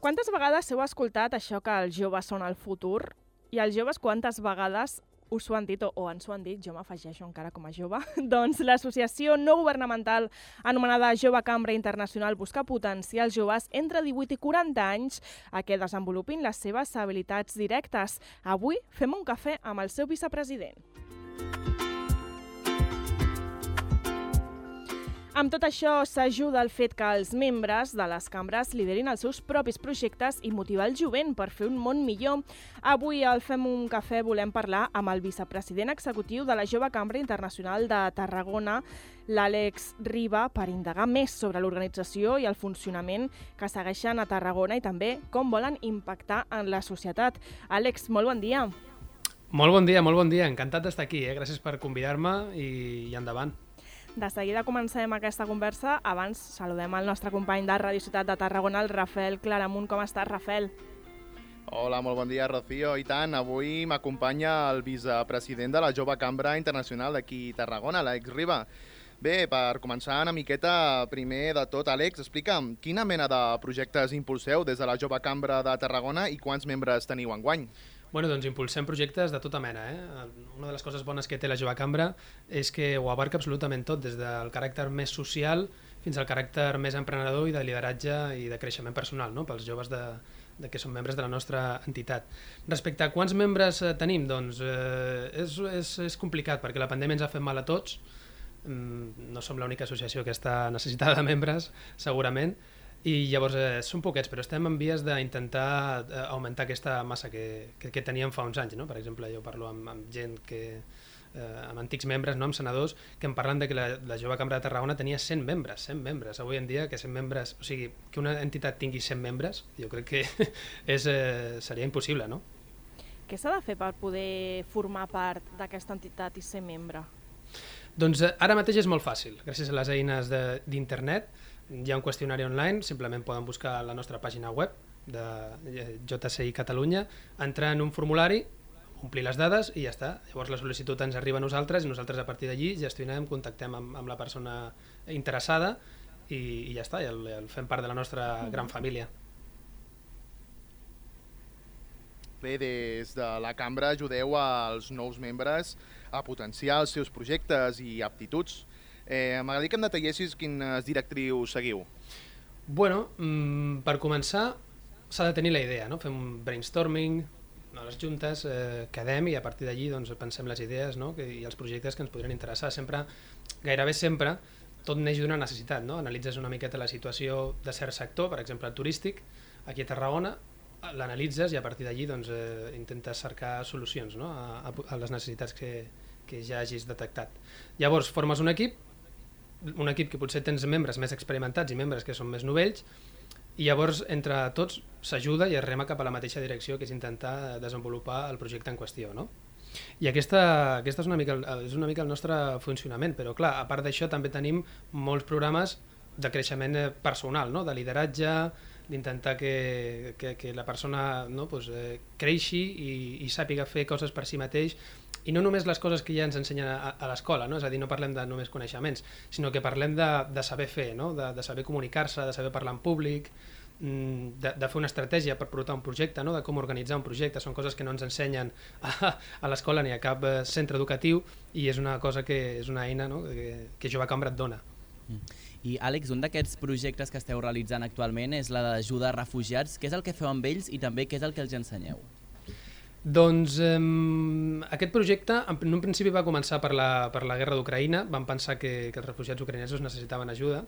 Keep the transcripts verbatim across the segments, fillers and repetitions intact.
Quantes vegades heu escoltat això que els joves són el futur? I els joves quantes vegades us ho han dit o, o ens ho han dit, jo m'afegeixo encara com a jove, doncs l'associació no governamental anomenada Jove Cambra Internacional busca potenciar els joves entre divuit i quaranta anys a que desenvolupin les seves habilitats directes. Avui fem un cafè amb el seu vicepresident. Amb tot això s'ajuda el fet que els membres de les cambres liderin els seus propis projectes i motivar el jovent per fer un món millor. Avui al Fem un cafè volem parlar amb el vicepresident executiu de la Jove Cambra Internacional de Tarragona, l'Àlex Riba, per indagar més sobre l'organització i el funcionament que segueixen a Tarragona i també com volen impactar en la societat. Àlex, molt bon dia. Molt bon dia, molt bon dia. Encantat d'estar aquí. Eh? Gràcies per convidar-me i, i endavant. De seguida comencem aquesta conversa. Abans saludem el nostre company de Radio Ciutat de Tarragona, el Rafael Claramunt. Com estàs, Rafael? Hola, molt bon dia, Rocío. I tant, avui m'acompanya el vicepresident de la Jove Cambra Internacional d'aquí a Tarragona, l'Àlex Riba. Bé, per començar una miqueta, primer de tot, Àlex, explica'm, quina mena de projectes impulseu des de la Jove Cambra de Tarragona i quants membres teniu enguany? Bueno, doncs impulsem projectes de tota mena. Eh? Una de les coses bones que té la Jove Cambra és que ho abarca absolutament tot, des del caràcter més social fins al caràcter més emprenedor i de lideratge i de creixement personal, no? Pels joves de, de que són membres de la nostra entitat. Respecte a quants membres tenim, doncs eh, és, és, és complicat perquè la pandèmia ens ha fet mal a tots. No som l'única associació que està necessitada de membres, segurament, i llavors eh, són poquets, però estem en vies d'intentar eh, augmentar aquesta massa que, que, que teníem fa uns anys, no? Per exemple, jo parlo amb, amb gent que, eh, amb antics membres, no? Amb senadors, que em parlen de que la, la Jove Cambra de Tarragona tenia cent membres, cent membres. Avui en dia que cent membres, o sigui, que una entitat tingui cent membres, jo crec que és, eh, seria impossible, no? Què s'ha de fer per poder formar part d'aquesta entitat i ser membre? Doncs eh, ara mateix és molt fàcil, gràcies a les eines d'internet. Hi ha un qüestionari online, simplement poden buscar la nostra pàgina web de J C I Catalunya, entrar en un formulari, omplir les dades i ja està. Llavors la sol·licitud ens arriba a nosaltres i nosaltres a partir d'allí gestionem, contactem amb, amb la persona interessada i, i ja està, i el, el fem part de la nostra gran família. Bé, des de la cambra ajudeu als nous membres a potenciar els seus projectes i aptituds. Eh, M'agradaria que em detallessis quines directrius seguiu. Bueno, mmm, per començar s'ha de tenir la idea, no? Fem un brainstorming a les juntes, eh, quedem i a partir d'allí doncs, pensem les idees, no? Que, i els projectes que ens podrien interessar. Sempre, gairebé sempre, tot neix d'una necessitat, no? Analitzes una miqueta la situació de cert sector, per exemple el turístic, aquí a Tarragona, l'analitzes i a partir d'allí doncs, eh, intentes cercar solucions, no? a, a les necessitats que, que ja hagis detectat. Llavors formes un equip, un equip que potser tens membres més experimentats i membres que són més novells, i llavors entre tots s'ajuda i es rema cap a la mateixa direcció, que és intentar desenvolupar el projecte en qüestió, no? I aquesta, aquesta és, una mica, és una mica el nostre funcionament, però clar, a part d'això també tenim molts programes de creixement personal, no? De lideratge, d'intentar que, que, que la persona, no? pues, eh, creixi i, i sàpiga fer coses per si mateix, i no només les coses que ja ens ensenyen a, a l'escola, no? És a dir, no parlem de només coneixements, sinó que parlem de, de saber fer, no? de, de saber comunicar-se, de saber parlar en públic, de, de fer una estratègia per portar un projecte, no? De com organitzar un projecte. Són coses que no ens ensenyen a, a l'escola ni a cap centre educatiu, i és una cosa que és una eina, no? que, que Jove Cambra et dona. I Àlex, un d'aquests projectes que esteu realitzant actualment és la d'ajuda a refugiats. Què és el que feu amb ells i també què és el que els ensenyeu? Doncs eh, aquest projecte en un principi va començar per la, per la guerra d'Ucraïna. Vam pensar que, que els refugiats ucraïnesos necessitaven ajuda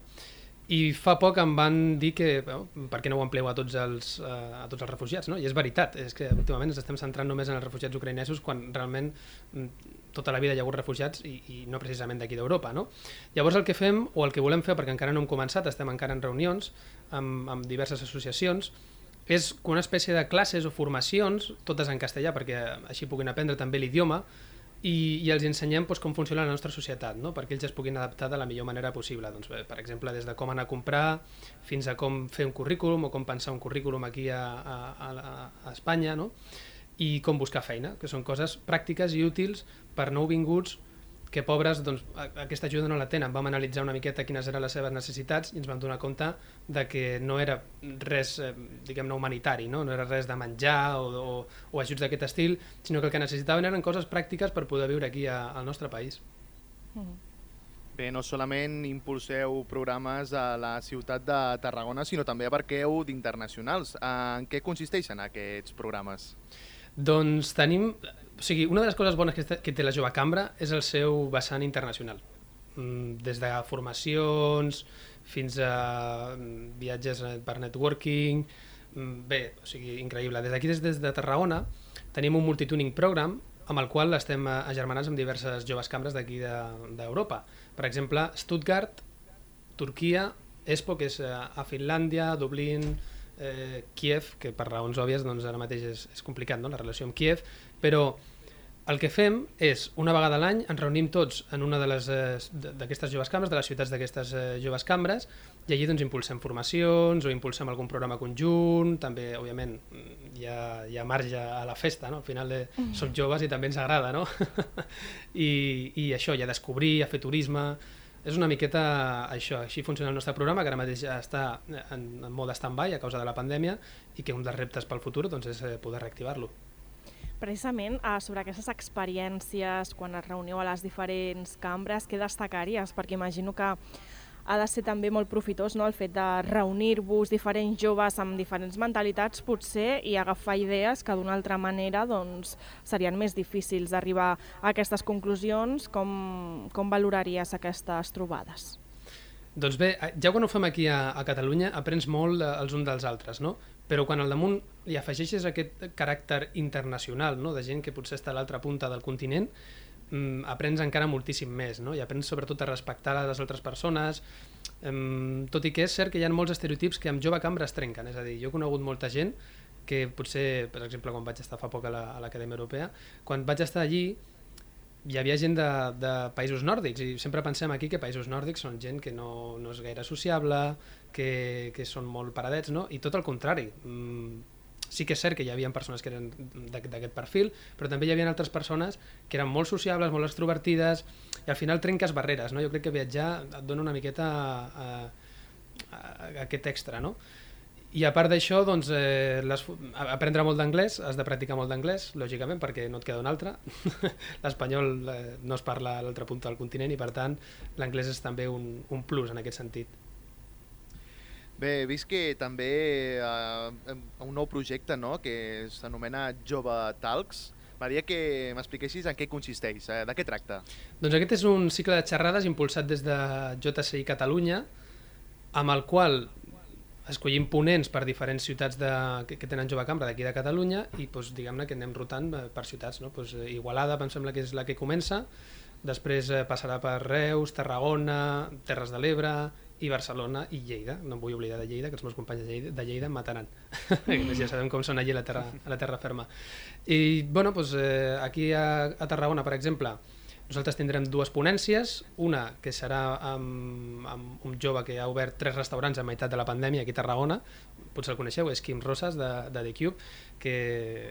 i fa poc em van dir que bueno, per què no ho amplieu a tots els, uh, a tots els refugiats, no? I és veritat, és que últimament ens estem centrant només en els refugiats ucraïnesos quan realment tota la vida hi ha hagut refugiats i, i no precisament d'aquí d'Europa, no? Llavors el que fem, o el que volem fer, perquè encara no hem començat, estem encara en reunions amb, amb diverses associacions, és una espècie de classes o formacions, totes en castellà perquè així puguin aprendre també l'idioma, i, i els ensenyem doncs, com funciona la nostra societat, no? Perquè ells es puguin adaptar de la millor manera possible. Doncs, bé, per exemple, des de com anar a comprar fins a com fer un currículum o com pensar un currículum aquí a, a, a, a Espanya, no? I com buscar feina, que són coses pràctiques i útils per nouvinguts que pobres doncs, aquesta ajuda no la tenen. Vam analitzar una miqueta quines eren les seves necessitats i ens vam donar compte de que no era res eh, diguem-ne humanitari, no? No era res de menjar o, o, o ajuts d'aquest estil, sinó que el que necessitaven eren coses pràctiques per poder viure aquí a, al nostre país. Mm. Bé, no solament impulseu programes a la ciutat de Tarragona, sinó també abarqueu d'internacionals. En què consisteixen aquests programes? Doncs tenim... O sigui, una de les coses bones que, que té la Jove Cambra és el seu vessant internacional. Des de formacions fins a viatges per networking... Bé, o sigui, increïble. Des d'aquí, des, des de Tarragona, tenim un multituning program amb el qual estem agermanats amb diverses joves cambres d'aquí d'Europa. Per exemple, Stuttgart, Turquia, Espoo, que és a Finlàndia, Dublín, eh, Kiev, que per raons òbvies doncs, ara mateix és, és complicat, no?, la relació amb Kiev, però el que fem és, una vegada a l'any, ens reunim tots en una de les d'aquestes joves cambres, de les ciutats d'aquestes eh, joves cambres, i allí doncs, impulsem formacions o impulsem algun programa conjunt, també, òbviament, hi ha, hi ha marge a la festa, no? Al final eh, mm. som joves i també ens agrada, no? I, I això, hi ha descobrir, hi ha fer turisme... És una miqueta això, així funciona el nostre programa, que ara mateix ja està en, en mode stand-by a causa de la pandèmia i que un dels reptes pel futur doncs, és poder reactivar-lo. Precisament sobre aquestes experiències, quan es reuniu a les diferents cambres, què destacaries? Perquè imagino que ha de ser també molt profitós, no?, el fet de reunir-vos diferents joves amb diferents mentalitats potser i agafar idees que d'una altra manera doncs, serien més difícils d'arribar a aquestes conclusions. Com, com valoraries aquestes trobades? Doncs bé, ja quan ho fem aquí a, a Catalunya aprens molt els uns dels altres, no? Però quan al damunt li afegeixes aquest caràcter internacional, no?, de gent que potser està a l'altra punta del continent, mm, aprens encara moltíssim més, no? I aprens sobretot a respectar les altres persones, um, tot i que és cert que hi ha molts estereotips que amb Jove Cambra es trenquen. És a dir, jo he conegut molta gent que potser, per exemple, quan vaig estar fa poc a l'Acadèmia Europea, quan vaig estar allí hi havia gent de, de països nòrdics i sempre pensem aquí que països nòrdics són gent que no, no és gaire sociable, que, que són molt paradets, no? I tot el contrari. Mm, sí que és cert que hi havia persones que eren d'aquest perfil, però també hi havia altres persones que eren molt sociables, molt extrovertides, i al final trenques barreres, no? Jo crec que viatjar et dona una miqueta a, a, a aquest extra, no? I a part d'això, doncs, eh, les, aprendre molt d'anglès, has de practicar molt d'anglès, lògicament, perquè no et queda un altre. L'espanyol eh, no es parla a l'altra punta del continent i, per tant, l'anglès és també un, un plus en aquest sentit. Bé, he vist que també eh, un nou projecte, no?, que s'anomena Jove Talks. M'agradaria que m'expliquessis en què consisteix, eh? De què tracta? Doncs aquest és un cicle de xerrades impulsat des de J C I Catalunya, amb el qual escollim ponents per diferents ciutats de, que, que tenen Jove Cambra d'aquí de Catalunya i doncs, diguem-ne que anem rotant per ciutats, no? Doncs, Igualada em sembla que és la que comença, després eh, passarà per Reus, Tarragona, Terres de l'Ebre i Barcelona i Lleida. No em vull oblidar de Lleida, que els meus companys de Lleida, de Lleida em mataran. Ja sabem com són allí a la terra, a la terra ferma. I bueno, doncs, eh, aquí a, a Tarragona, per exemple, nosaltres tindrem dues ponències, una que serà amb, amb un jove que ha obert tres restaurants a meitat de la pandèmia aquí a Tarragona, potser el coneixeu, és Quim Rosas de, de The Cube, que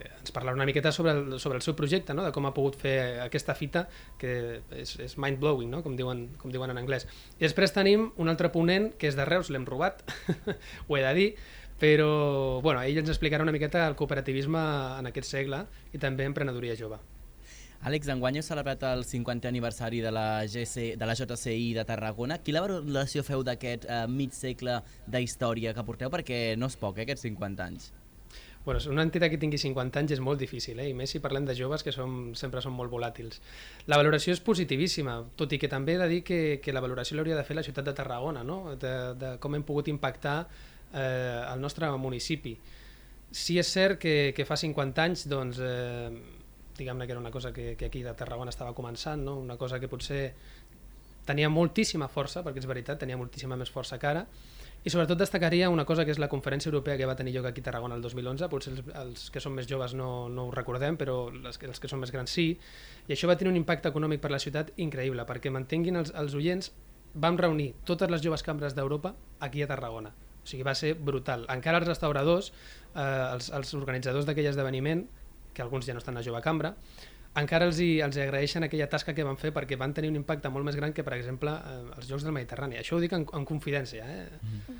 ens parlarà una miqueta sobre el, sobre el seu projecte, no? De com ha pogut fer aquesta fita, que és, és mind-blowing, no? com, diuen, com diuen en anglès. I després tenim un altre ponent que és de Reus, l'hem robat, ho he de dir, però bueno, ell ens explicarà una miqueta el cooperativisme en aquest segle i també emprenedoria jove. Àlex, enguany heu celebrat el cinquantè aniversari de la, G C, de la J C I de Tarragona. Quina valoració feu d'aquest eh, mig segle d'història que porteu? Perquè no és poc, eh, aquests cinquanta anys. Bueno, una entitat que tingui cinquanta anys és molt difícil, eh? I més si parlem de joves que som, sempre són molt volàtils. La valoració és positivíssima, tot i que també he de dir que, que la valoració l'hauria de fer la ciutat de Tarragona, no? de, de com hem pogut impactar eh, el nostre municipi. Sí és cert que, que fa cinquanta anys, doncs, eh, diguem-ne que era una cosa que, que aquí de Tarragona estava començant, no? Una cosa que potser tenia moltíssima força, perquè és veritat, tenia moltíssima més força que ara, i sobretot destacaria una cosa que és la conferència europea que va tenir lloc aquí a Tarragona el dos mil onze, potser els, els que són més joves no, no ho recordem, però els, els que són més grans sí, i això va tenir un impacte econòmic per la ciutat increïble, perquè mantenguin els, els oients, vam reunir totes les joves cambres d'Europa aquí a Tarragona, o sigui, va ser brutal. Encara els restauradors, eh, els, els organitzadors d'aquell esdeveniment, que alguns ja no estan a Jove Cambra, encara els, hi, els hi agraeixen aquella tasca que van fer perquè van tenir un impacte molt més gran que, per exemple, eh, els Jocs del Mediterrani. Això ho dic en, en confidència. Eh? Mm.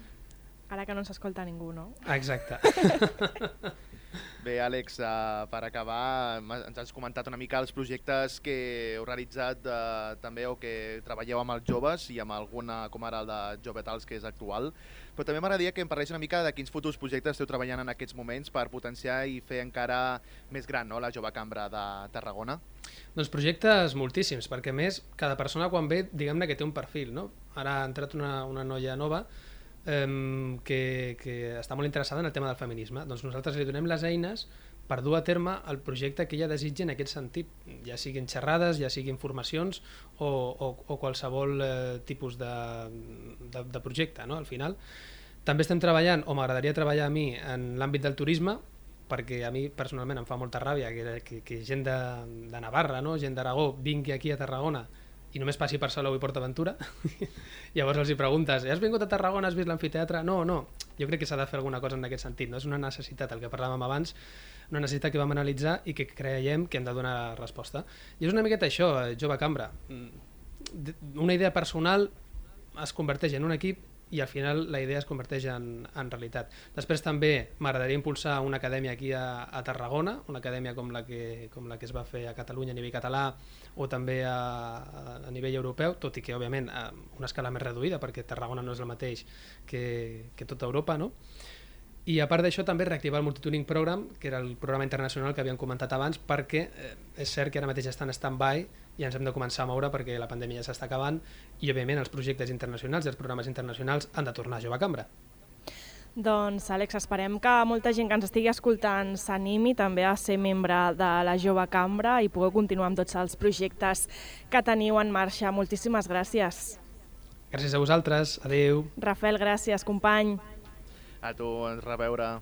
Ara que no s'escolta ningú, no? Exacte. Bé, Àlex, uh, per acabar, ens has comentat una mica els projectes que heu realitzat uh, també o que treballeu amb els joves i amb alguna, com ara el de Jovetals, que és actual, però també m'agradaria que em parlés una mica de quins futurs projectes esteu treballant en aquests moments per potenciar i fer encara més gran, no?, la Jove Cambra de Tarragona. Doncs projectes moltíssims, perquè a més cada persona quan ve, diguem-ne que té un perfil, no? Ara ha entrat una, una noia nova Um, que, que està molt interessada en el tema del feminisme. Doncs nosaltres li donem les eines per dur a terme el projecte que ella desitja en aquest sentit, ja siguin xerrades, ja siguin formacions o, o, o qualsevol eh, tipus de, de, de projecte, no? Al final també estem treballant, o m'agradaria treballar a mi en l'àmbit del turisme, perquè a mi personalment em fa molta ràbia que, que, que gent de, de Navarra, no? Gent d'Aragó vingui aquí a Tarragona i només passi per Salou i PortAventura. Llavors els hi preguntes, has vingut a Tarragona, has vist l'amfiteatre? No, no, jo crec que s'ha de fer alguna cosa en aquest sentit, no? És una necessitat, el que parlàvem abans, una necessitat que vam analitzar i que creiem que hem de donar resposta. I és una miqueta això, Jove Cambra. Una idea personal es converteix en un equip i al final la idea es converteix en, en realitat. Després també m'agradaria impulsar una acadèmia aquí a, a Tarragona, una acadèmia com la, que, com la que es va fer a Catalunya a nivell català o també a, a nivell europeu, tot i que òbviament a una escala més reduïda perquè Tarragona no és el mateix que, que tota Europa, no? I a part d'això també reactivar el Multituning Program, que era el programa internacional que havíem comentat abans, perquè eh, és cert que ara mateix està en stand-by i ens hem de començar a moure perquè la pandèmia ja s'està acabant i òbviament els projectes internacionals i els programes internacionals han de tornar a Jove Cambra. Doncs Àlex, esperem que molta gent que ens estigui escoltant s'animi també a ser membre de la Jove Cambra i pugueu continuar amb tots els projectes que teniu en marxa. Moltíssimes gràcies. Gràcies a vosaltres, adeu. Rafael, gràcies, company. A tu, a reveure.